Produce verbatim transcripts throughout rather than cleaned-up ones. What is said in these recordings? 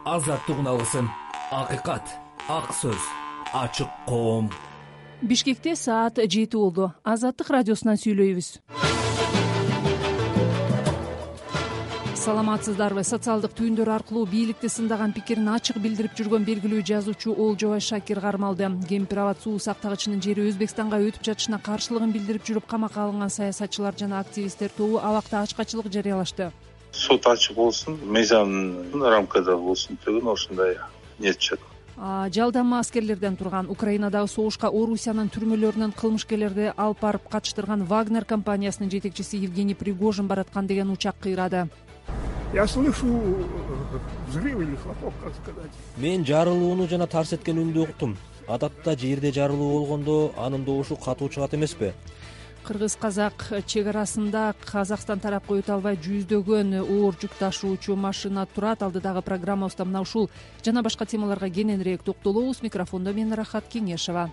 азаттык алсын, акыйкат, ак сөз, ачык коом. Бишкекте саат жети болду. Азаттык радиосунан сүйлөйбүз. Саламатсыздарбы? Социалдык түйүндөр аркылуу бийликти сындаган пикирин ачык билдирип жүргөн белгилүү жазуучу Олжобай Шакир кармалды. Кемпир абад суу сактагычынын жери Өзбекстанга өтүп жатышына каршылыгын билдирип жүрүп камакка алынган саясатчылар жана активисттер тобу абакта ачкачылык жарыялашты. Сот ачык болсун, мыйзамдын рамкада болсун деген ушундай ниет чыгат. Жалданма аскерлерден турган Украинадагы согушка Орусиянын түрмөлөрүнөн кылмышкерлерди алып барып катыштырган Вагнер компаниясынын жетекчиси Евгений Пригожин бараткан деген учак кыйрады. Я слышу взрыв или хлопок, как сказать. Мен жарылууну жана тарс эткен үндү уктум. Адатта жерде жарылуу болгондо анын добушу катуу чыгат эмеспи? Кыргыз-казак чек арасында Казакстан тарапка өтө албай жүздөгөн оор жүк ташуучу машина турат. Алдыдагы программабызда мына ушул жана башка темаларга кененирээк токтолобуз. Микрофондо мен Рахат Кеңешова.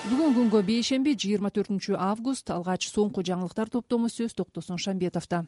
Бүгүн күнгө бейшемби жыйырма төртүнчү август. Алгач соңку жаңылыктар топтому сөз Токтосун Шамбетовдо.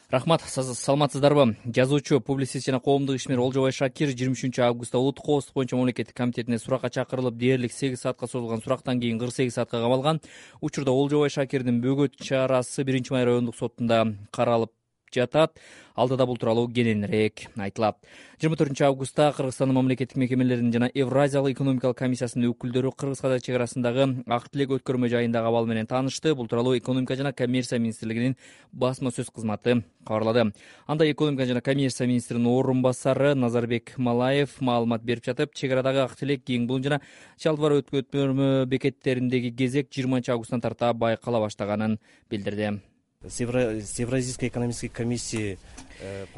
Рахмат, саламатсыздарбы? Жазуучу, публицист жана коомдук ишмер Олжобай Шакир жыйырма үчүнчү августта улуттук коопсуздук боюнча мамлекеттик комитетине суракка чакырылып, дээрлик сегиз саатка созулган сурактан кийин кырк сегиз саатка камалган. Учурда Олжобай Шакирдин бөгөт чарасы биринчи май райондук сотунда каралып жатат. Алдыда бул тууралуу кененирээк айтылат. жыйырма төртүнчү августта Кыргызстандын мамлекеттик мекемелеринин жана Евразиялык экономикалык комиссиясынын өкүлдөрү Кыргыз-казак чек арасындагы Ак Тилек өткөрмө жайындагы абал менен таанышты. Бул тууралуу экономика жана коммерция министрлигинин басма сөз кызматы кабарлады. Анда экономика жана коммерция министринин орун басары Назарбек Малаев маалымат берип жатып, чек арадагы Ак Тилек, Кийин Булун жана Чалдыбар өткөрмө бекеттериндеги кезек жыйырманчы августтан тарта байкала баштаганын билдирди. С Евразийской экономической комиссии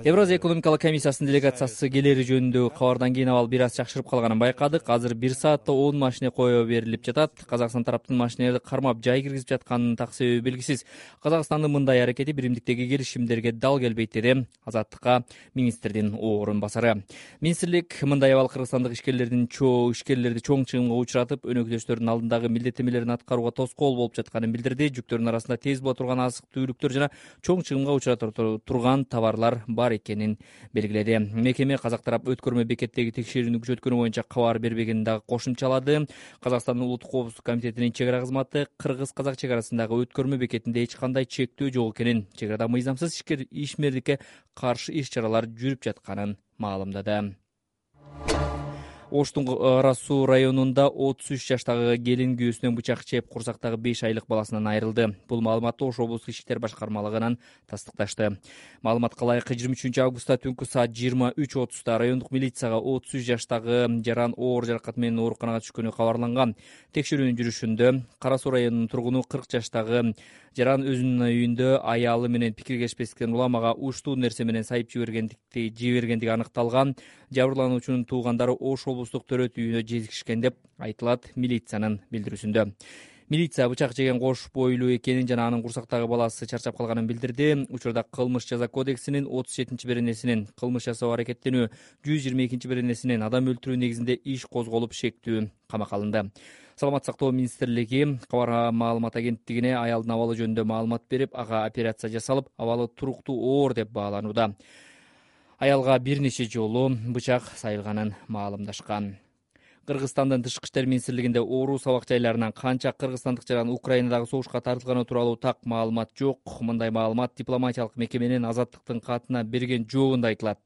Евразия экономикалык комиссиясынын делегациясы келери жөнүндө кабардан кийин абал бир аз жакшырып калганын байкадык. Азыр бир саатта он машине кое берилип жатат. Казакстан тараптын машинелерди кармап жай киргизип жатканын так себеби белгисиз. Казакстандын мындай аракети биримдиктеги келишимдерге дал келбейт, деди Азаттыкка министрдин орун басары. Министрлик мындай абал кыргызстандык ишкерлердин чоо ишкерлерди чоң чыгымга учуратып, өнөктөштөрдүн алдындагы милдеттенмелерин аткарууга тоскоол болуп жатканын билдирди. Жүктөрдүн арасында тез була турган азык-түлүктөр жана чоң чыгымга учурата турган товарлар бар экенин белгиледи. Мекеме казак тарап өткөрмө бекеттеги текшерүүнү күчөткөнү боюнча кабар бербегенин дагы кошумчалады. Казакстандын улуттук коопсуздук комитетинин чек ара кызматы Кыргыз-казак чек арасындагы өткөрмө бекетинде эч кандай чектөө жок экенин, чек арада мыйзамсыз ишмердикке каршы иш чаралар жүрүп жатканын маалымдады. Оштун Ара суу районунда отуз үч жаштагы келин күйөөсүнөн бычак чеп курсактагы беш айлык баласынан айрылды. Бул маалыматты Ош облустук ички иштер башкармалыгынан тастыкташты. Маалыматка ылайык жыйырма үчүнчү августта түнкү саат жыйырма үч отузда райондук милицияга отуз үч жаштагы жаран оор жаракат менен ооруканага түшкөнү кабарланган. Текшерүүнүн жүрүшүндө Кара суу районунун тургуну кырк жаштагы жаран өзүнүн үйүндө аялы менен пикиргешпестиктен уламага уштуу нерсе менен сайып жибергендикти жибергендиги аныкталган. Жабырлануучунун туугандары Ош облустук төрөт үйүнө жетишкен деп айтылат милициянын билдирүүсүндө. Милиция бычак жеген кош бойлуу экенин жана анын курсактагы баласы чарчап калганын билдирди. Учурда кылмыш жаза кодексинин отуз жетинчи беренесинин кылмыш жасоо аракеттенүү, жүз жыйырма экинчи беренесинин адам өлтүрүү негизинде иш козголуп шектүү камакка алынды. Саламат сактоо министрлиги кабар маалымат агенттигине аялдын абалы жөнүндө маалымат берип, ага операция жасалып, абалы туруктуу оор деп бааланууда. Аялга бир нече жолу бычак сайылганын маалымдашкан. Кыргызстандын тышкы иштер министрлигинде Орус абак жайларынан канча кыргызстандык жаран Украинадагы согушка тартылганы тууралуу так маалымат жок. Мындай маалымат дипломатиялык мекеменин Азаттыктын катына берген жообунда айтылат.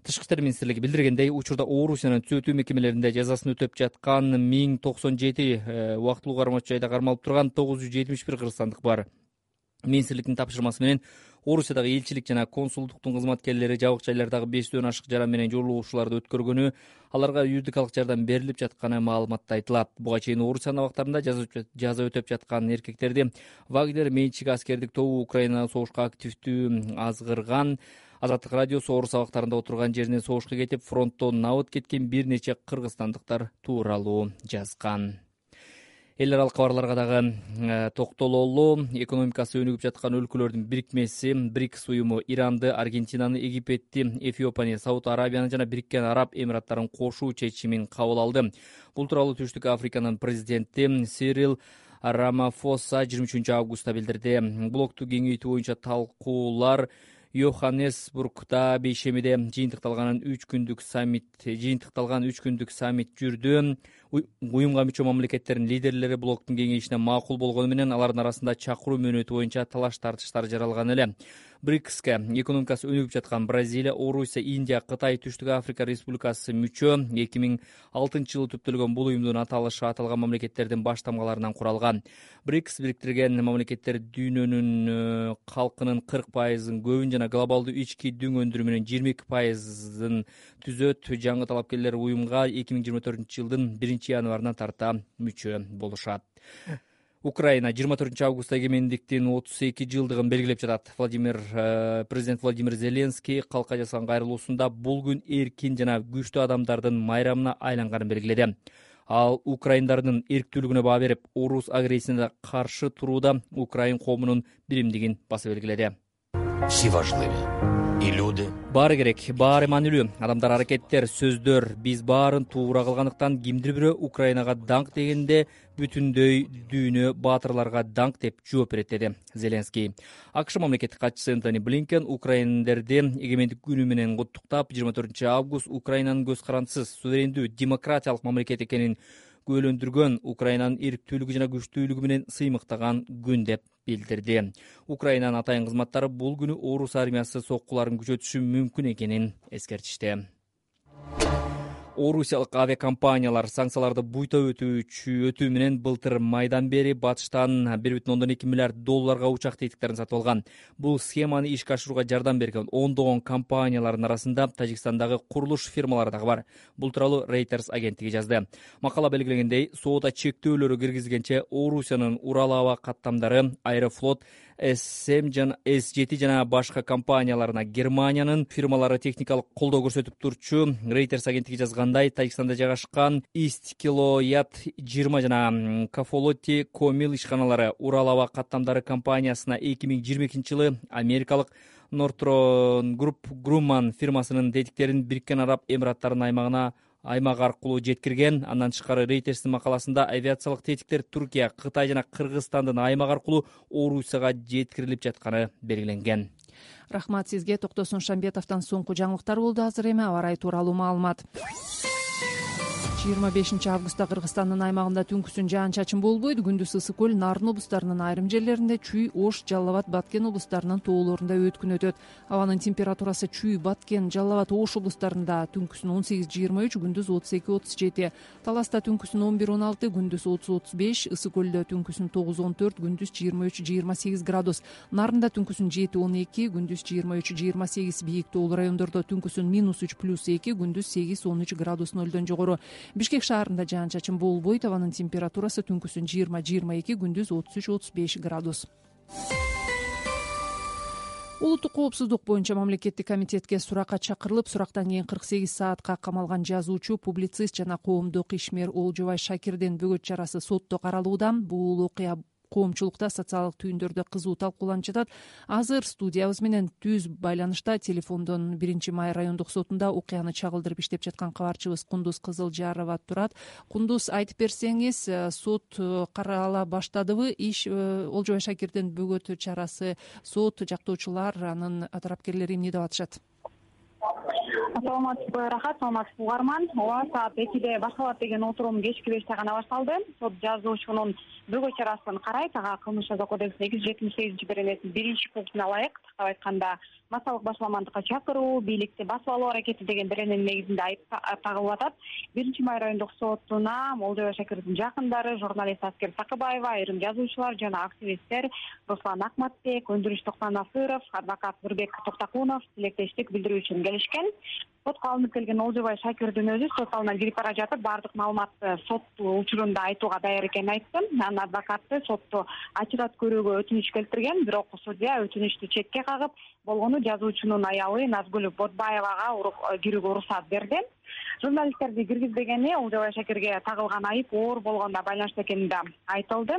Тышкы иштер министрлиги билдиргендей, учурда Орусиянын түзөтүү мекемелеринде жазасын өтөп жаткан миң токсон жети убактылуу кармоочу жайда кармалып турган тогуз жүз жетимиш бир кыргызстандык бар. Министрликтин тапшырмасы менен Орусиядагы элчилик жана консулдуктун кызматкерлери жабык жайлардагы бештен ашык жаран менен жолугушууларды өткөргөнү, аларга юридикалык жардам берилип жатканы маалыматта айтылат. Буга чейин Орусиянын абактарында жаза өтөп жаткан эркектерди Вагнер менчиги аскердик тобу Украинада согушка активдүү азгырган. Азаттык радиосу Орус абактарында отурган жеринен согушка кетип, фронттон набыт кеткен бир нече кыргызстандыктар тууралуу жазган. Эл аралык кабарларга дагы токтололу. Экономикасы өнүгүп жаткан өлкөлөрдүн бирикмеси БРИКС уюму Иранды, Аргентинаны, Египетти, Эфиопияны, Сауд Арабияны жана Бириккен Араб Эмираттарын кошуу чечимин кабыл алды. Бул тууралуу Түштүк Африканын президенти Сирил Рамафоса жыйырма үчүнчү августта билдирди. Блокту кеңейтүү боюнча талкуулар Йоханнесбургда бейшемиде жыйынтыкталган үч күндүк саммит жыйынтыкталган үч күндүк саммит жүрдү. Уюмга мүчө мамлекеттердин лидерлери блоктун кеңешине макул болгону менен алардын арасында чакыруу мөөнөтү боюнча талаш тартыштар жаралган эле. брикске экономикасы өнүгүп жаткан Бразилия, Орусия, Индия, Кытай, Түштүк Африка Республикасы мүчө. эки миң алтынчы жылы түптөлгөн бул уюмдун аталышы аталган мамлекеттердин баш тамгаларынан куралган. брикс бириктирген мамлекеттер дүйнөнүн калкынын кырк пайызын көбүн жана глобалдуу ички дүң өндүрүмүнүн жыйырма эки пайызын түзөт. Жаңы талапкерлер уюмга эки миң жыйырма төртүнчү жылдын биринчи январынан тарта мүчө болушат. Украина жыйырма төртүнчү августта эгемендиктин отуз эки жылдыгын белгилеп жатат. Владимир президент Владимир Зеленский калкка жасаган кайрылуусунда бул күн эркин жана күчтүү адамдардын майрамына айланганын белгиледи. Ал украиндардын эрктүүлүгүнө баа берип, орус агрессиясына каршы турууда Украин коомунун биримдигин баса белгиледи. Всі важливі. І люди. Баары керек, баары маанилүү. Адамдар, аракеттер, сөздөр, биз баарын туура кылгандыктан кимдир бирөө Украинага даңк дегенде бүтүндөй дүйнө баатырларга даңк деп жооп берет, деди Зеленский. АКШ мамлекеттик катчысы Энтони Блинкен украиндерди эгемендик күнү менен куттуктап, жыйырма төртүнчү август Украинанын көз карандысыз, суверендүү, демократиялык мамлекет экенин күбөлөндүргөн, Украинанын эрктүүлүгү жана күчтүүлүгү менен сыймыктаган күн деп билдирди. Украинанын атайын кызматтары бул күнү орус армиясы соккуларын күчөтүшү мүмкүн экенин эскертишти. Орусиялык авиакомпаниялар санкцияларды буйта өтүү менен былтыр майдан бери батыштан бир бүтүн ондон эки миллиард долларга учак тетиктерин сатып алган. Бул схеманы ишке ашырууга жардам берген ондогон компаниялардын арасында Тажикстандагы курулуш фирмалары дагы бар. Бул тууралуу Reuters агенттиги жазды. Макала белгилегендей, соода чектөөлөрү киргизилгенче Орусиянын Урал аба каттамдары, Аэрофлот, эс жети жана башка компанияларына Германиянын фирмалары техникалык колдоо көрсөтүп турчу. Reuters агенттиги жазгандай, Тажикстанда жайгашкан Исткилоят жыйырма жана Кафолоти Комил ишканалары Урал аба каттамдары компаниясына эки миң жыйырма экинчи жылы америкалык Northrop Grumman фирмасынын тетиктерин Бириккен Араб Эмираттарынын аймагына аймак аркылуу жеткирген. Андан тышкары Reuters'тин макаласында авиациялык тетиктер Түркия, Кытай жана Кыргызстандын аймак аркылуу Орусияга жеткирилип жатканы белгиленген. Рахмат сизге. Токтосун Шамбетовдон соңку жаңылыктар болду. Азыр эми аба ырайы тууралуу маалымат. жыйырма бешинчи августта Кыргызстандын аймагында түнкүсүн жаан-чачын болбойт. Күндүз ысык көл, Нарын облустарынын айрым жерлеринде, Чүй, Ош, Жалал Абад, Баткен облустарынын тоолорунда өткүн өтөт. Абанын температурасы Чүй, Баткен, Жалал Абад, Ош облустарында түнкүсүн он сегиз жыйырма үч, күндүз отуз эки отуз жети. Таласта түнкүсүн он бир он алты, күндүз отуз отуз беш, ысык көлдө түнкүсүн тогуз он төрт, күндүз жыйырма үч жыйырма сегиз градус. Нарында түнкүсүн жети он эки, күндүз жыйырма үч жыйырма сегиз. Бийик тоолуу райондордо түнкүсүн минус үч плюс эки, күндүз сегиз он үч градус нөлдөн жогору. Бишкек шаарында жаан-чачын болбойт. Абанын температурасы түнкүсүн жыйырма жыйырма эки, күндүз отуз үч отуз беш градус. Улуттук коопсуздук боюнча мамлекеттик комитетке суракка чакырылып, сурактан кийин кырк сегиз саатка камалган жазуучу, публицист жана коомдук ишмер Олжобай Шакирдин бөгөт чарасы сотто каралууда. Бул окуя коомчулукта социалдык түйүндөрдө кызуу талкууланып жатат. Азыр студиябыз менен түз байланышта телефондон биринчи май райондук сотунда окуяны чагылдырып иштеп жаткан кабарчыбыз Кундуз Кызылжарова турат. Кундуз, айтып берсеңиз, сот карала баштадыбы? Иш Олжобай Шакирдин бөгөт чарасы сот жактоочулар, анын тарапкерлери эмне деп атышат? Саламатсызбы, Рахат, саламатсызбы угарман. Ооба, саат экиде башталат деген отурум кечки беште гана башталды. Сот жазуучунун бөгөт чарасын карайт. Ага Кылмыш жаза кодексинин эки жүз жетимиш сегизинчи беренесинин биринчи пунктуна ылайык, тактап айтканда, массалык башаламандыкка чакыруу, бийликти басып алуу аракети деген берененин негизинде айып тагылып атат. биринчи май райондук сотуна Олжобай Шакирдин жакындары, журналист Аскер Сакыбаева, айрым жазуучулар жана активисттер Руслан Акматбек, Өндүрүш Токтонасыров, адвокат Нурбек Токтакунов тилектештик билдирүү үчүн келишкен. Сотко алынып келген Олжобай Шакирдин өзү сот залына кирип бара жатып, баардык маалыматты сот учурунда айтууга даяр экенин айтты. Анын адвокаты сотто ачык көрүүгө өтүнүч келтирген, бирок судья өтүнүчтү четке кагып, болгону жазуучунун аялы Назгүл Бодбаевага кирүүгө уруксат берди. Журналисттерди киргизбегени Олжобай Шакирге тагылган айып оор болгонуна байланыштуу экени да айтылды.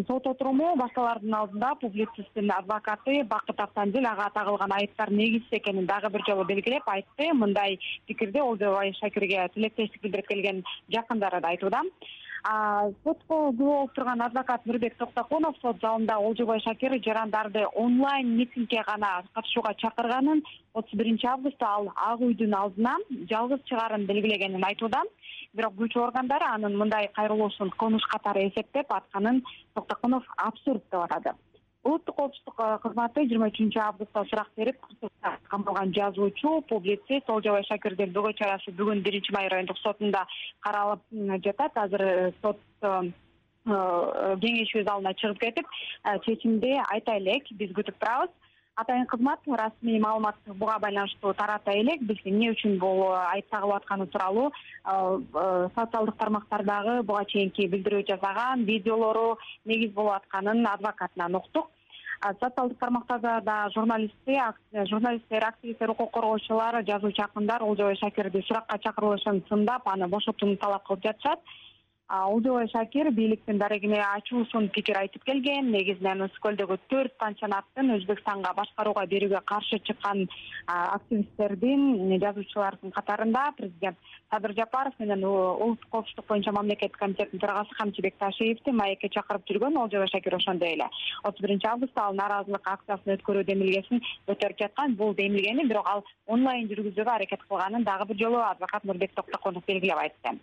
Сот отуруму башталардын алдында публицисттин адвокаты Бакыт Автандил ага тагылган айыптар негизсиз экенин дагы бир жолу белгилеп айтты. Мындай пикирди Олжобай Шакирге тилектештик билдирип келген жакындары да айтууда. сотко күбө болуп турган адвокат Нурбек Токтокунов сот залында Олжобай Шакир жарандарды онлайн митингге гана катышууга чакырганын, отуз биринчи августта ал Ак үйдүн алдына жалгыз чыгаарын белгилегенин айтууда. Бирок күч органдары анын мындай кайрылуусун кылмыш катары эсептеп атканын Токтокунов абсурд деп атады. Улуттук коопсуздук кызматы жыйырма үчүнчү августта сурак берип, камалган жазуучу, публицист Олжобай Шакирдин бөгөө чарасы бүгүн биринчи май райондук сотунда каралып жатат. Азыр сот кеңешүү залына чыгып кетип, чечимди айта элек, биз күтүп турабыз. Атайын кызмат расмий маалымат буга байланыштуу тарата элек, биз эмне үчүн бул айып тагылып атканы тууралуу социалдык тармактардагы буга чейинки билдирүү жасаган видеолору негиз болуп атканын адвокатынан уктук. Социалдык тармактарда да журналисттер, журналисттер, активисттер, укук коргоочулар, жазуучу акындар Олжобай Шакирди суракка чакырылышын сындап, аны бошотууну талап кылып жатышат. Олжобай Шакир бийликтин дарегине ачуусун пикир айтып келген. Негизинен Ысык көлдөгү төрт пансионаттын Өзбекстанга башкарууга берүүгө каршы чыккан активисттердин, жазуучулардын катарында президент Садыр Жапаров менен улуттук коопсуздук боюнча мамлекеттик комитеттин төрагасы Камчы Бекташиевди маекке чакырып жүргөн. Олжобай Шакир ошондой эле отуз биринчи августта ал нааразылык акциясын өткөрүү демилгесин көтөрүп жаткан. Бул демилгени бирок ал онлайн жүргүзүүгө аракет кылганын дагы бир жолу адвокат Нурбек Токтокунов белгилеп айтты.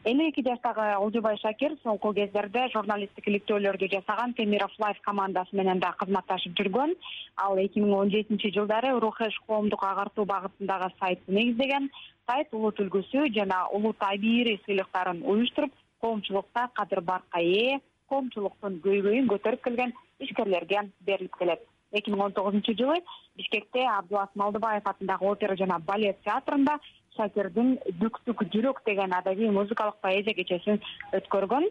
элүү эки жаштагы Олжобай Шакир соңку кездерде журналисттик иликтөөлөрдү жасаган Темиров Лайф командасы менен да кызматташып жүргөн. Ал эки миң он жетинчи жылдары Рухеш коомдук агартуу багытындагы сайтты негиздеген. Сайт улут үлгүсү жана улут абийири сыйлыктарын уюштуруп, коомчулукта кадыр баркка ээ, коомчулуктун көйгөйүн көтөрүп келген ишкерлерге берилип келет. эки миң он тогузунчу жылы Бишкекте Абдулас Малдыбаев атындагы опера жана балет театрында Шакирдин Бүктүк жүрөк деген адабий музыкалык поэзия кечесин өткөргөн.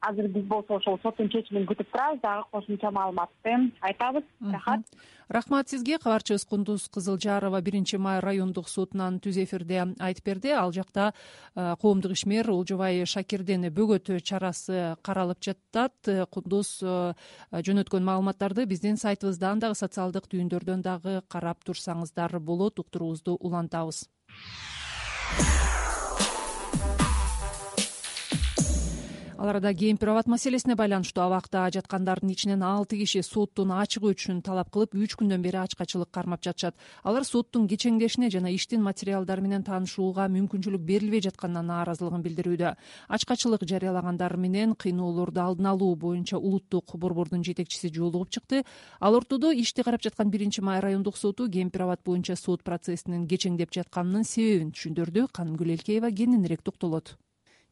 Азыр биз болсо ошол соттун чечимин күтүп турабыз, дагы кошумча маалыматты айтабыз. Рахмат. Рахмат сизге. Кабарчыбыз Кундуз Кызылжарова биринчи май райондук сотунан түз эфирде айтып берди. Ал жакта коомдук ишмер Олжобай Шакирдин бөгөт чарасы каралып жатат. Кундуз жөнөткөн маалыматтарды биздин сайтыбыздан дагы социалдык түйүндөрдөн дагы карап турсаңыздар болот. Уктуруубузду улантабыз. Ал арада кемпир абад маселесине байланыштуу абакта жаткандардын ичинен алты киши соттун ачыгы үчүн талап кылып үч күндөн бери ачкачылык кармап жатышат. Алар соттун кечеңдешине жана иштин материалдары менен таанышууга мүмкүнчүлүк берилбей жатканына нааразылыгын билдирүүдө. Ачкачылык жарыялагандар менен кыйноолорду алдын алуу боюнча улуттук борбордун жетекчиси жолугуп чыкты. Ал ортодо ишти карап жаткан биринчи май райондук соту кемпир абад боюнча сот процессинин кечеңдеп жатканынын себебин түшүндүрдү. Канымгүл Элкеева кененирээк токтолот.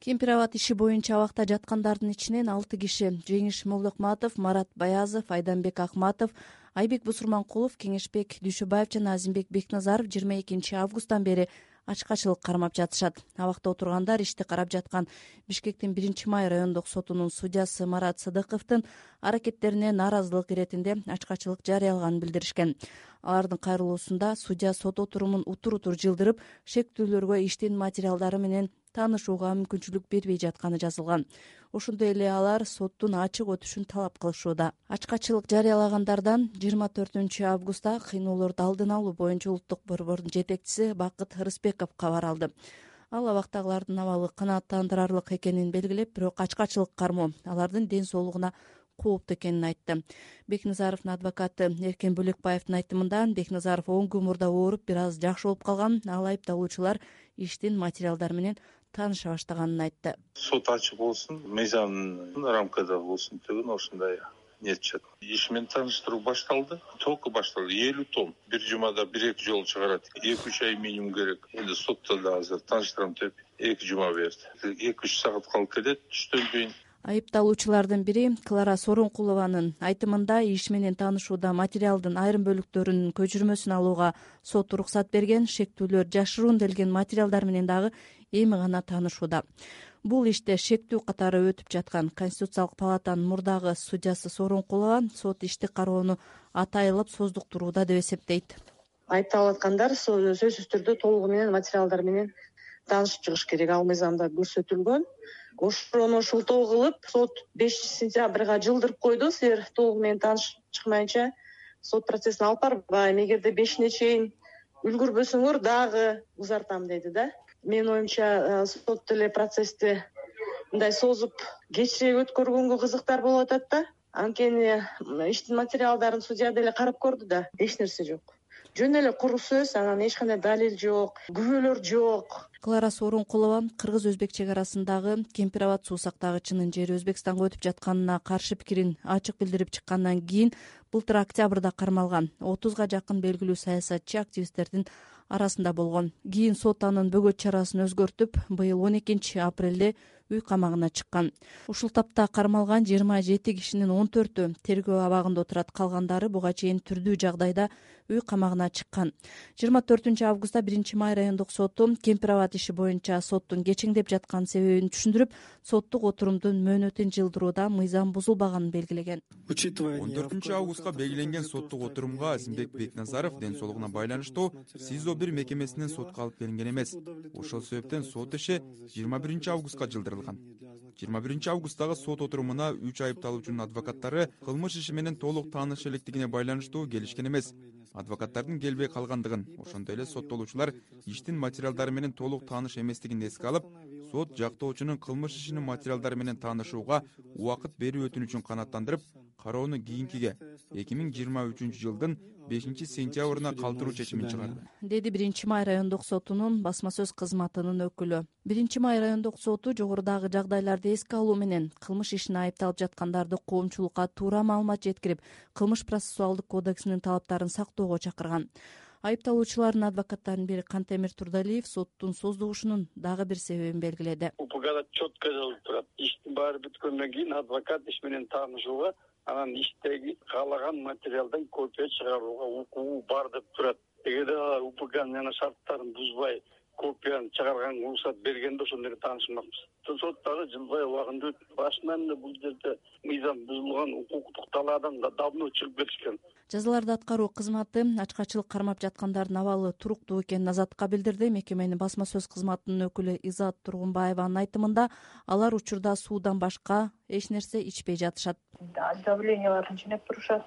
Кемпир абад иши боюнча абакта жаткандардын ичинен алты киши — Жеңиш Молдокматов, Марат Баязов, Айданбек Акматов, Айбек Бусурманкулов, Кеңешбек Дүйшөбаев жана Азимбек Бекназаров жыйырма экинчи августтан бери ачкачылык кармап жатышат. Абакта отургандар ишти карап жаткан Бишкектин биринчи май райондук сотунун судьясы Марат Сыдыковдун аракеттерине нааразылык иретинде ачкачылык жарыялаганын билдиришкен. Алардын кайрылуусунда судья сот отурумун утур-утур жылдырып, шектүүлөргө иштин материалдары менен таанышууга мүмкүнчүлүк бербей жатканы жазылган. Ошондой эле алар соттун ачык өтүшүн талап кылышууда. Ачкачылык жарыялагандардан жыйырма төртүнчү августта кыйноолорду алдын алуу боюнча улуттук борбордун жетекчиси Бакыт Рыспеков кабар алды. Ал абактагылардын абалы канааттандырарлык экенин белгилеп, бирок ачкачылык кармоо алардын ден соолугуна кооптуу экенин айтты. Бекназаровдун адвокаты Эркен Бөлекбаевдин айтымында, Бекназаров оң көмүрдө ооруп, бир аз жакшы болуп калган. Ал айыпталуучулар иштин материалдары менен тааныша баштаганын айтты. Сот ачык болсун, мыйзамдын рамкада болсун деген ошондой нетчет. Иш менен тааныштыруу башталды. Только башталды. элүү том. Бир жумада бир эки жолу чыгарат. эки үч ай минимум керек. Эndi сотто да азыр тааныштырам деп эки жума берди. эки үч саат калып кетет түштөн кийин. Айыпталуучулардын бири Клара Сооронкулованын айтымында иш менен таанышууда материалдын айрым бөлүктөрүнүн көчүрмөсүн алууга сот уруксат берген, шектүүлөр жашыруун делген материалдар менен дагы эми гана таанышууда. Бул иште шектүү катары өтүп жаткан. Конституциялык палатанын мурдагы судьясы Сооронкулова сот ишти кароону атайылап создуктурууда деп эсептейт. Айыпталып аткандар сөзсүз түрдө толугу менен материалдар менен таанышып чыгыш керек. Ал мыйзамда көрсөтүлгөн. Ошону шылтоо кылып, сот бешинчи сентябрга жылдырып койду. Силер толугу менен таанышып чыкмайынча сот процессин алып барбайм. Эгерде бешине чейин үлгүрбөсөңөр дагы узартам деди да. Менин оюмча сот деле процессти мындай созуп кечирээк өткөргөнгө кызыктар болуп атат да. Анткени иштин материалдарын судья деле карап көрдү да, эч нерсе жок. Жөн эле куру сөз, анан эч кандай далил жок, күбөлөр жок. Клара Сооронкулова кыргыз-өзбек чек арасындагы Кемпир Абад суу сактагычынын жери Өзбекстанга өтүп жатканына каршы пикирин ачык билдирип чыккандан кийин былтыр октябрда кармалган. отузга жакын белгилүү саясатчы активисттердин арасында болгон. Кийин сот анын бөгөт чарасын өзгөртүп, быйыл он экинчи апрелде үй камагына чыккан. Ушул тапта кармалган жыйырма жети кишинин он төртү тергөө абагында отурат, калгандары буга чейин түрдүү жагдайда үй камагына чыккан. жыйырма төртүнчү августта биринчи май райондук соту Кемпир Абад иши боюнча соттун кечеңдеп жаткан себебин түшүндүрүп, соттук отурумдун мөөнөтүн жылдырууда мыйзам бузулбаганын белгилеген. он төртүнчү августка белгиленген соттук отурумга Азимбек Бекназаров ден соолугуна байланыштуу СИЗО бир мекемесинен сотко алып келинген эмес. Ошол себептен сот иши жыйырма биринчи августка жылдырылган. жыйырма биринчи августтагы сот отурумуна үч айыпталуучунун адвокаттары кылмыш иши менен толук тааныш электигине байланыштуу келишкен эмес. Адвокаттардын келбей калгандыгын, ошондой эле соттолуучулар иштин материалдары менен толук тааныш эместигин эске алып, сот жактоочунун кылмыш ишинин материалдары менен таанышууга убакыт берүү өтүнүчүн канааттандырып, кароону кийинкиге эки миң жыйырма үчүнчү жылдын бешинчи сентябрына калтыруу чечимин чыгарды, деди биринчи май райондук сотунун басма сөз кызматынын өкүлү. биринчи май райондук соту жогорудагы жагдайларды эске алуу менен кылмыш ишине айыпталып жаткандарды коомчулукка туура маалымат жеткирип, кылмыш процессуалдык кодексинин талаптарын сактоого чакырган. Айыпталуучулардын адвокаттарынын бири Кантемир Турдалиев соттун создугушунун дагы бир себебин белгиледи. УПКда четко жазылып турат. Иштин баары бүткөндөн кийин адвокат иш менен таанышууга, анан иштеги каалаган материалдан копия чыгарууга укугу бар деп турат. Эгерде алар УПКнын жана шарттарын бузбай копияны чыгарган уруксат бергенде ошондо эле таанышмакпыз. Сот дагы жылбай убагында өтүп, башынан эле бул жерде мыйзам бузулган, укуктук талаадан да давно чыгып кетишкен. Жазаларды аткаруу кызматы ачкачылык кармап жаткандардын абалы туруктуу экенин Азаттыкка билдирди. Мекеменин басма сөз кызматынын өкүлү Изат Тургунбаеванын айтымында, алар учурда суудан башка эч нерсе ичпей жатышат. Давленияларын ченеп турушат,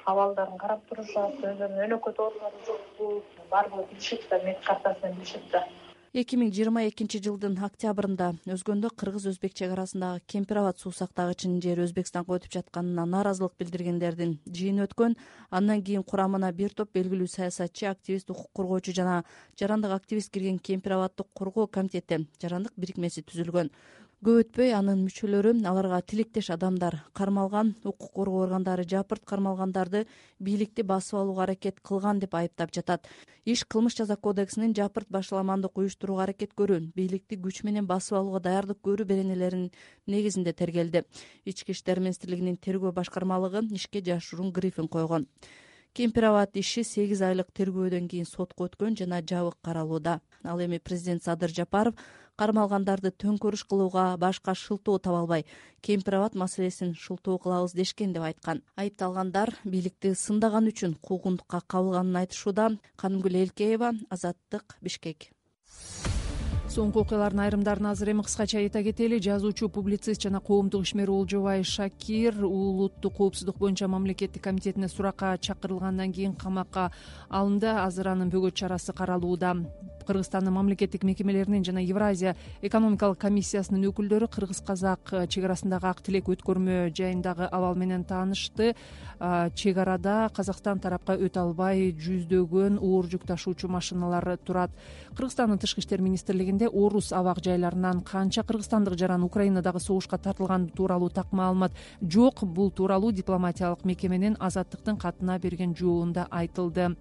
абалдарын карап турушат, өздөрүнүн өнөкөт оорулары жокпу, баардыгы билишет да, мед картасынан билишет да. эки миң жыйырма экинчи жылдын октябрында өзгөндө кыргыз-өзбек чек арасындагы Кемпир Абад суу сактагычынын жери Өзбекстанга өтүп жатканына нааразылык билдиргендердин жыйыны өткөн. Андан кийин курамына бир топ белгилүү саясатчы, активист, укук коргоочу жана жарандык активист кирген Кемпир Абаддык коргоо комитети, жарандык бирикмеси түзүлгөн. Көп өтпөй анын мүчөлөрү, аларга тилектеш адамдар кармалган, укук коргоо органдары жапырт кармалгандарды бийликти басып алууга аракет кылган деп айыптап жатат. Иш кылмыш жаза кодексинин жапырт башаламандык уюштурууга аракет көрүү, бийликти күч менен басып алууга даярдык көрүү беренелеринин негизинде тергелди. Ички иштер министрлигинин тергөө башкармалыгы ишке жашыруун грифин койгон. Кемпир Абад иши сегиз айлык тергөөдөн кийин сотко өткөн жана жабык каралууда. Ал эми президент Садыр Жапаров кармалгандарды төңкөрүш кылууга башка шылтоо таба албай, Кемпир Абад маселесин шылтоо кылабыз дешкен деп айткан. Айыпталгандар бийликти сындаган үчүн куугунтукка кабылганын айтышууда. Канымгүл Элкеева, Азаттык, Бишкек. Соңку окуялардын айрымдарын азыр эми кыскача айта кетели. Жазуучу, публицист жана коомдук ишмер Олжобай Шакир улуттук коопсуздук боюнча мамлекеттик комитетине суракка чакырылгандан кийин камакка алынды. Азыр анын бөгөт чарасы каралууда. Кыргызстандын мамлекеттик мекемелеринин жана Евразия экономикалык комиссиясынын өкүлдөрү кыргыз-казак чек арасындагы ак тилек өткөрмө жайындагы абал менен таанышты. Чек арада Казакстан тарапка өтө албай жүздөгөн оор жүк ташуучу машиналар турат. Кыргызстандын тышкы иштер министрлигинде орус абак жайларынан канча кыргызстандык жаран Украинадагы согушка тартылганы тууралуу так маалымат жок. Бул тууралуу дипломатиялык мекеменин Азаттыктын катына берген жообунда айтылды.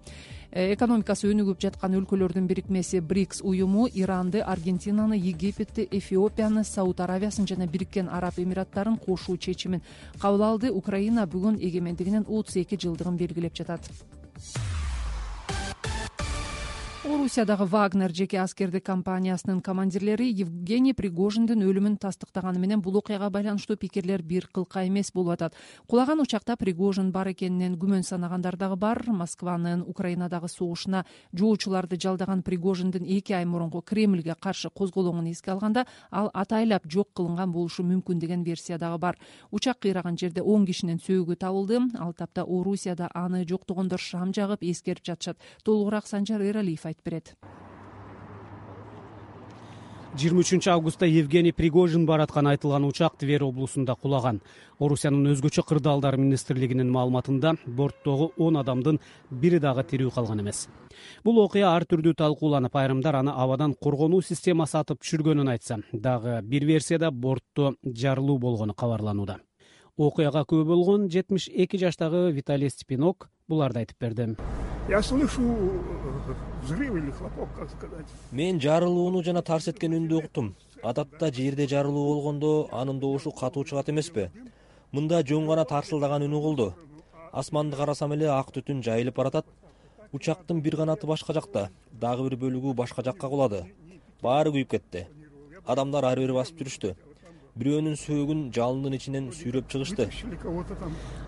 Экономикасы өнүгүп жаткан өлкөлөрдүн бирикмеси БРИКС уюму Иранды, Аргентинаны, Египетти, Эфиопияны, Сауд Аравиясын жана Бириккен Араб Эмираттарын кошуу чечимин кабыл алды. Украина бүгүн эгемендигинин отуз эки жылдыгын белгилеп жатат. Орусиядагы Вагнер жеке аскердик компаниясынын командирлери Евгений Пригожиндин өлүмүн тастыктаганы менен бул окуяга байланыштуу пикирлер бир кылка эмес болуп атат. Кулаган учакта Пригожин бар экенинен күмөн санагандар дагы бар. Москванын Украинадагы согушуна жоочуларды жалдаган Пригожиндин эки ай мурунку Кремльге каршы козголоңун эске алганда, ал атайлап жок кылынган болушу мүмкүн деген версия дагы бар. Учак кыйраган жерде он кишинин сөөгү табылды. Ал тапта Орусияда аны жоктогондор шам жагып эскерип жатышат. Толугураак Санжар Эралиев айтып берет. жыйырма үчүнчү августта Евгений Пригожин бараткан айтылган учак Тверь облусунда кулаган. Орусиянын өзгөчө кырдаалдар министрлигинин маалыматында борттогу он адамдын бири дагы тирүү калган эмес. Бул окуя ар түрдүү талкууланып, айрымдар аны абадан коргонуу системасы атып түшүргөнүн айтса, дагы бир версияда бортто жарылуу болгону кабарланууда. Окуяга күбө болгон жетимиш эки жаштагы Виталий Степинок буларды айтып берди. Я слышу взрыв или хлопок, как сказать. Мен жарылууну жана тарс эткен үндү уктум. Адатта жерде жарылуу болгондо анын добушу катуу чыгат эмеспи? Мында жөн гана тарсылдаган үн угулду. Асманды карасам эле ак түтүн жайылып баратат. Учактын бир канаты башка жакта, дагы бир бөлүгү башка жакка кулады. Баары күйүп кетти. Адамдар ары бери басып жүрүштү. Бирөөнүн сөөгүн жалындын ичинен сүйрөп чыгышты.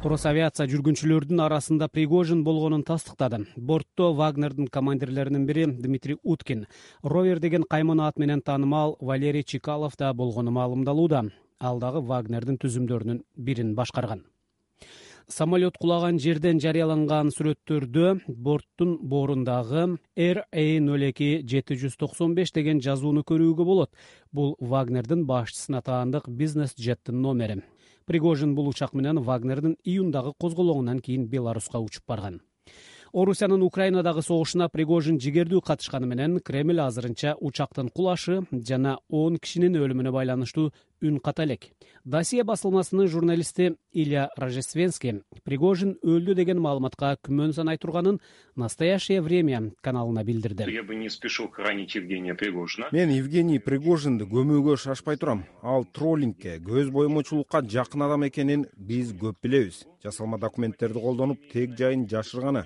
Росавиация жүргүнчүлөрдүн арасында Пригожин болгонун тастыктады. Бортто Вагнердин командирлеринин бири Дмитрий Уткин, Ровер деген кайман ат менен таанымал Валерий Чекалов да болгону маалымдалууда. Ал дагы Вагнердин түзүмдөрүнүн бирин башкарган. Самолет кулаган жерден жарыяланган сүрөттөрдө борттун боорундагы эр а ноль эки жети жүз токсон беш деген жазууну көрүүгө болот. Бул Вагнердин башчысына таандык бизнес жеттин номери. Пригожин бул учак менен Вагнердин июндагы козголоңунан кийин Беларуска учуп барган. Орусиянын Украинадагы согушуна Пригожин жигердүү катышканы менен Кремль азырынча учактын кулашы жана он кишинин өлүмүнө байланыштуу үн ката элек. Досье басылмасынын журналисти Илья Рождественский Пригожин өлдү деген маалыматка күмөн санай турганын «Настоящее время» каналына билдирди. Я бы не спешил хоронить Евгения Пригожина. Мен Евгений Пригожинди көмүүгө шашпай турам. Ал троллингке, көз боемочулукка жакын адам экенин биз көп билебиз. Жасалма документтерди колдонуп, тег жайын жашырганы,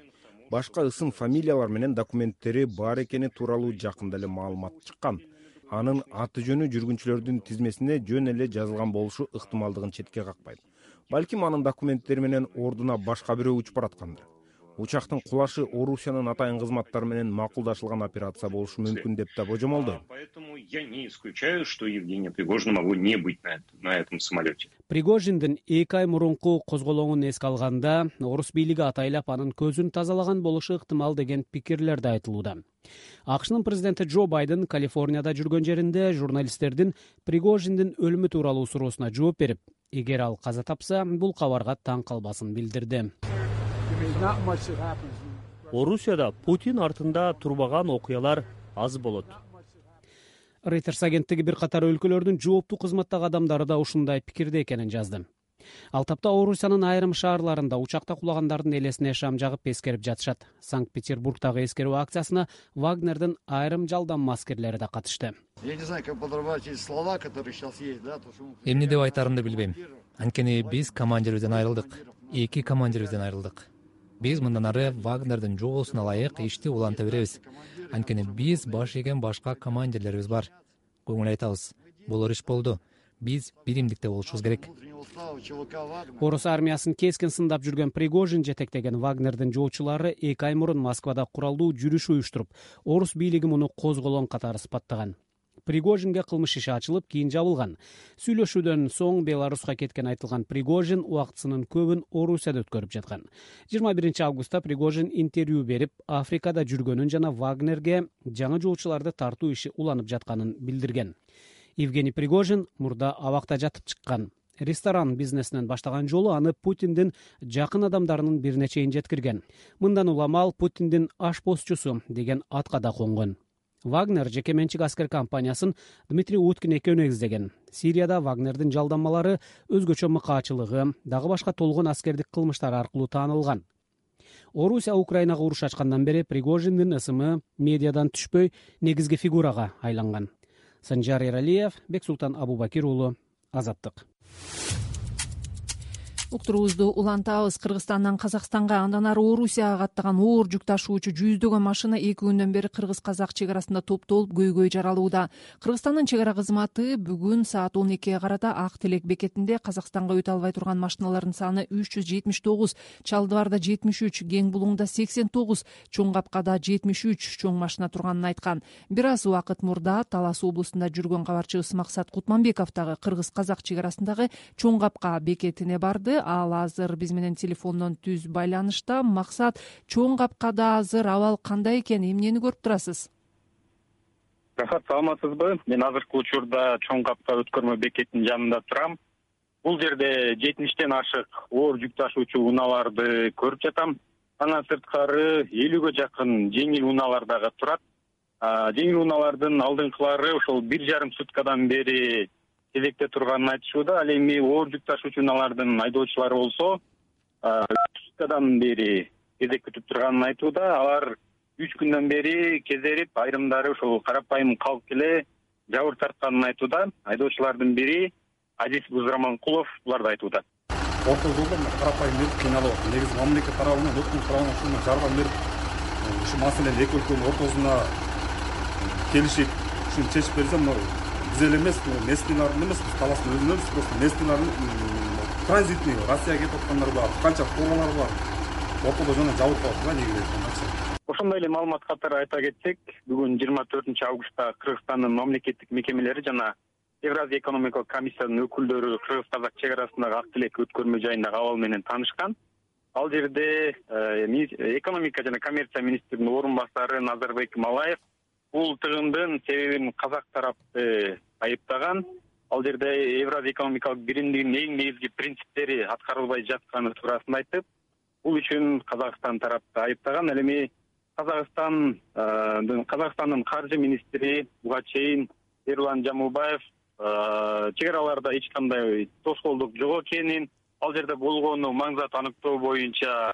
башка ысым фамилиялар менен документтери бар экени тууралуу жакында эле маалымат чыккан. Анын аты жөнү жүргүнчүлөрдүн тизмесине жөн эле жазылган болушу ыктымалдыгын четке какпайт. Балким анын документтери менен ордуна башка бирөө учуп бараткандыр. Учактын кулашы Орусиянын атайын кызматтары менен макулдашылган операция болушу мүмкүн деп да божомолдойм. Поэтому я не исключаю, что Евгения Пригожина могло не быть на этом, на этом самолете. Пригожиндин эки ай мурунку козголоңун эске алганда, орус бийлиги атайлап анын көзүн тазалаган болушу ыктымал деген пикирлер да айтылууда. АКШнын президенти Джо Байден Калифорнияда жүргөн жеринде журналисттердин Пригожиндин өлүмү тууралуу суроосуна жооп берип, эгер ал каза тапса, бул кабарга таң калбасын билдирди. Орусияда Путин артында турбаган окуялар аз болот. Reuters агенттиги бир катар өлкөлөрдүн жооптуу кызматтагы адамдары да ушундай пикирде экенин жазды. Ал тапта Орусиянын айрым шаарларында учакта кулагандардын элесине шам жагып эскерип жатышат. Санкт-Петербургдагы эскерүү акциясына Вагнердин айрым жалданма аскерлери да катышты. Эмне деп айтарымды билбейм. Анткени биз командирибизден айрылдык. Эки командирибизден айрылдык. Биз мындан ары Вагнердин жобосуна ылайык ишти уланта беребиз. Анткени биз баш ийген башка командирлерибиз бар. Көңүл айтабыз. Болор иш болду. Биз биримдикте болушубуз керек. Орус армиясын кескин сындап жүргөн Пригожин жетектеген Вагнердин жоочулары эки ай мурун Москвада куралдуу жүрүш уюштуруп, орус бийлиги муну козголоң катары сыпаттаган. Пригожинге кылмыш иши ачылып, кийин жабылган. Сүйлөшүүдөн соң Беларуска кеткен айтылган Пригожин убактысынын көбүн Орусияда өткөрүп жаткан. жыйырма биринчи августта Пригожин интервью берип, Африкада жүргөнүн жана Вагнерге жаңы жоочуларды тартуу иши уланып жатканын билдирген. Евгений Пригожин мурда абакта жатып чыккан. Ресторан бизнесинен баштаган жолу аны Путиндин жакын адамдарынын бирине чейин жеткирген. Мындан улам ал Путиндин ашпозчусу деген атка да конгон. Вагнер жеке менчик аскер компаниясын Дмитрий Уткин экөө негиздеген. Сирияда Вагнердин жалданмалары өзгөчө мыкаачылыгы, дагы башка толгон аскердик кылмыштары аркылуу таанылган. Орусия Украинага уруш ачкандан бери Пригожиндин ысымы медиадан түшпөй негизги фигурага айланган. Санжар Эралиев, Бексултан Абубакир уулу, Азаттык. Уктуруубузду улантабыз. Кыргызстандан Казакстанга, андан ары Орусияга каттаган оор жүк ташуучу жүздөгөн машина эки күндөн бери кыргыз-казак чек арасында топтолуп көйгөй жаралууда. Кыргызстандын чек ара кызматы бүгүн саат он экиге карата Ак Телек бекетинде Казакстанга өтө албай турган машиналардын саны үч жүз жетимиш тогуз, Чалдыбарда жетимиш үч, Кең Булуңда сексен тогуз, Чоң Капкада жетимиш үч чоң машина турганын айткан. Бир аз убакыт мурда Талас облусунда жүргөн кабарчыбыз Максат Кутманбеков дагы кыргыз-казак чек арасындагы Чоң Капка бекетине барды. Ал азыр биз менен телефондон түз байланышта. Максат, Чоң Капкада азыр абал кандай экен, эмнени көрүп турасыз? рахат, саламатсызбы? Мен азыркы учурда Чоң Капка өткөрмө бекетинин жанында турам. Бул жерде жетимиштен ашык оор жүк ташуучу унааларды көрүп жатам. Андан сырткары элүүгө жакын жеңил унаалар дагы турат. Жеңил унаалардын алдыңкылары ошол бир жарым суткадан бери кезекте турганын айтышууда. Ал эми оор жүк ташуучу унаалардын айдоочулары болсо үч суткадан бери кезек күтүп турганын айтууда. Алар үч күндөн бери кезерип, айрымдары ошол карапайым калк эле жабыр тартканын айтууда. Айдоочулардын бири Азиз Бузраманкулов буларды айтууда. Орто жолдо карапайым эле кыйналып атат. Негизи мамлекет тарабынан өкмөт тарабынан ушуга жардам берип, ушу маселени эки өлкөнүн ортосуна келишип, ушуну чечип берсе, мына биз эле эмес, местныйлардын эмес, биз талаштын өзүн эмес, просто местныйлардын транзитный Россияга кетип аткандар бар, канча фуралар бар. Ортодо жана жабырып калат да негизи. Ошондой эле маалымат катары айта кетсек, бүгүн жыйырма төртүнчү августта Кыргызстандын мамлекеттик мекемелери жана Евразия экономикалык комиссиянын өкүлдөрү кыргыз-казак чек арасындагы ак тилек өткөрмө жайындагы абал менен таанышкан. Ал жерде экономика жана коммерция министринин орун басары Назарбек Малаев бул тыгындын себебин казак тарапты айыптаган. Ал жерде Евразия экономикалык биримдигинин эң негизги принциптери аткарылбай жатканы туурасында айтып, бул үчүн Казакстан тарапты айыптаган. Ал эми Казакстан Казакстандын каржы министри буга чейин Эрлан Жамылбаев чек араларда эч кандай тоскоолдук жок экенин, ал жерде болгону маңзат аныктоо боюнча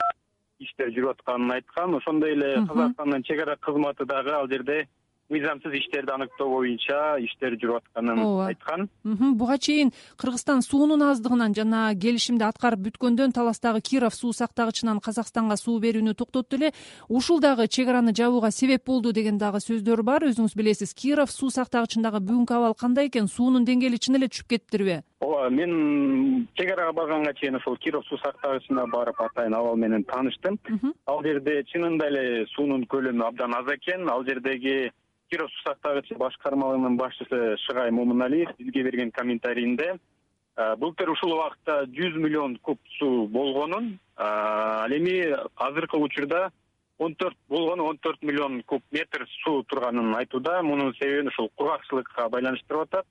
иштер жүрүп атканын айткан. Ошондой эле Казакстандын чек ара кызматы дагы ал жерде мыйзамсыз иштерди аныктоо боюнча иштер жүрүп атканын айткан. Буга чейин Кыргызстан суунун аздыгынан жана келишимди аткарып бүткөндөн таластагы Киров суу сактагычынан Казакстанга суу берүүнү токтотту эле. Ушул дагы чек араны жабууга себеп болду деген дагы сөздөр бар. Өзүңүз билесиз, Киров суу сактагычындагы бүгүнкү абал кандай экен? Суунун деңгээли чын эле түшүп кетиптирби? Ооба, мен чек арага барганга чейин ошол Киров суу сактагычына барып атайын абал менен тааныштым. Ал жерде чынында эле суунун көлөмү абдан аз экен. Ал жердеги Киров суу сактагычы башкармалыгынын башчысы Шыгай Момуналиев бизге берген комментарийинде былтыр ушул убакта жүз миллион куб суу болгонун, ал эми азыркы учурда он төрт болгону он төрт миллион куб метр суу турганын айтууда. Мунун себебин ушул кургакчылыкка байланыштырып атат.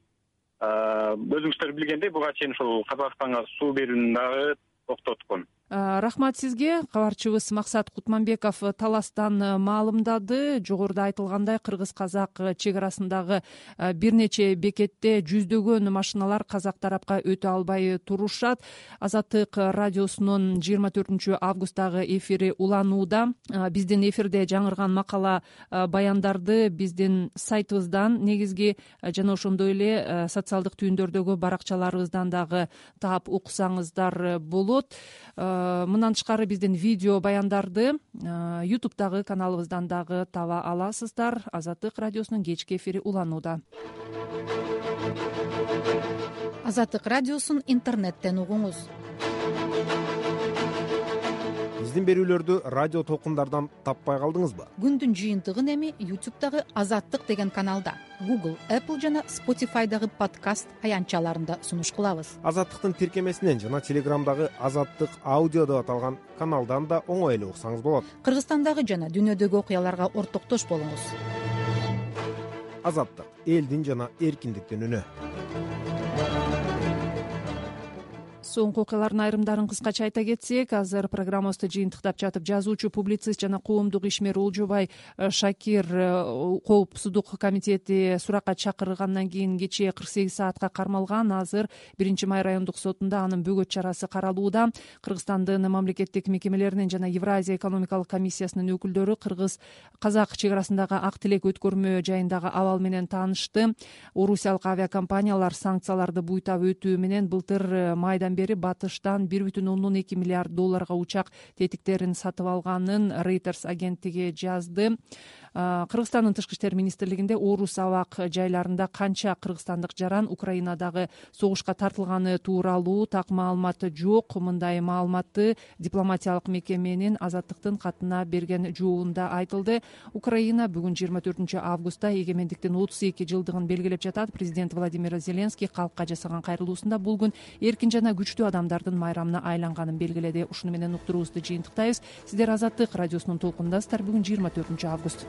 Өзүңүздөр билгендей, буга чейин ушул Казакстанга суу берүүнү дагы токтоткон. Рахмат сизге. Кабарчыбыз Максат Кутманбеков таластан маалымдады. Жогоруда айтылгандай, кыргыз-казак чек арасындагы бир нече бекетте жүздөгөн машиналар казак тарапка өтө албай турушат. Азаттык радиосунун жыйырма төртүнчү августтагы эфири уланууда. Биздин эфирде жаңырган макала баяндарды биздин сайтыбыздан негизги жана ошондой эле социалдык түйүндөрдөгү баракчаларыбыздан дагы таап уксаңыздар болот. Мындан тышкары биздин видео баяндарды ютубтагы каналыбыздан дагы таба аласыздар. Азаттык радиосунун кечки эфири уланууда. Азаттык радиосун интернеттен угуңуз. Биздин берүүлөрдү радио толкундардан таппай калдыңызбы? Күндүн жыйынтыгын эми ютубтагы Азаттык деген каналда, Google, Apple жана Spotify'дагы подкаст аянтчаларында сунуш кылабыз. Азаттыктын тиркемесинен жана Телеграмдагы Азаттык аудио деп аталган каналдан да оңой эле уксаңыз болот. Кыргызстандагы жана дүйнөдөгү окуяларга ортоктош болуңуз. Азаттык — элдин жана эркиндиктин үнү. Соңку окуялардын айрымдарын кыскача айта кетсек, азыр программабызды жыйынтыктап жатып, жазуучу, публицист жана коомдук ишмер Олжобай Шакир коопсуздук комитети суракка чакыргандан кийин кечээ кырк сегиз саатка кармалган. Азыр биринчи май райондук сотунда анын бөгөт чарасы каралууда. Кыргызстандын мамлекеттик мекемелеринин жана Евразия экономикалык комиссиясынын өкүлдөрү кыргыз-казак чек арасындагы ак тилек өткөрмө жайындагы абал менен таанышты. Орусиялык авиакомпаниялар санкцияларды буйтап өтүү менен былтыр майдан бери батыштан бир бүтүн ондон эки миллиард долларга учак тетиктерин сатып алганын Reuters агенттиги жазды. Кыргызстандын тышкы иштер министрлигинде орус абак жайларында канча кыргызстандык жаран Украинадагы согушка тартылганы тууралуу так маалымат жок. Мындай маалыматты дипломатиялык мекеменин Азаттыктын катына берген жообунда айтылды. Украина бүгүн жыйырма төртүнчү августта эгемендиктин отуз эки жылдыгын белгилеп жатат. Президент Владимир Зеленский калкка жасаган кайрылуусунда бул күн эркин жана күчтүү адамдардын майрамына айланганын белгиледи. Ушуну менен уктуруубузду жыйынтыктайбыз. Сиздер Азаттык радиосунун толкунундасыздар. Бүгүн жыйырма төртүнчү август.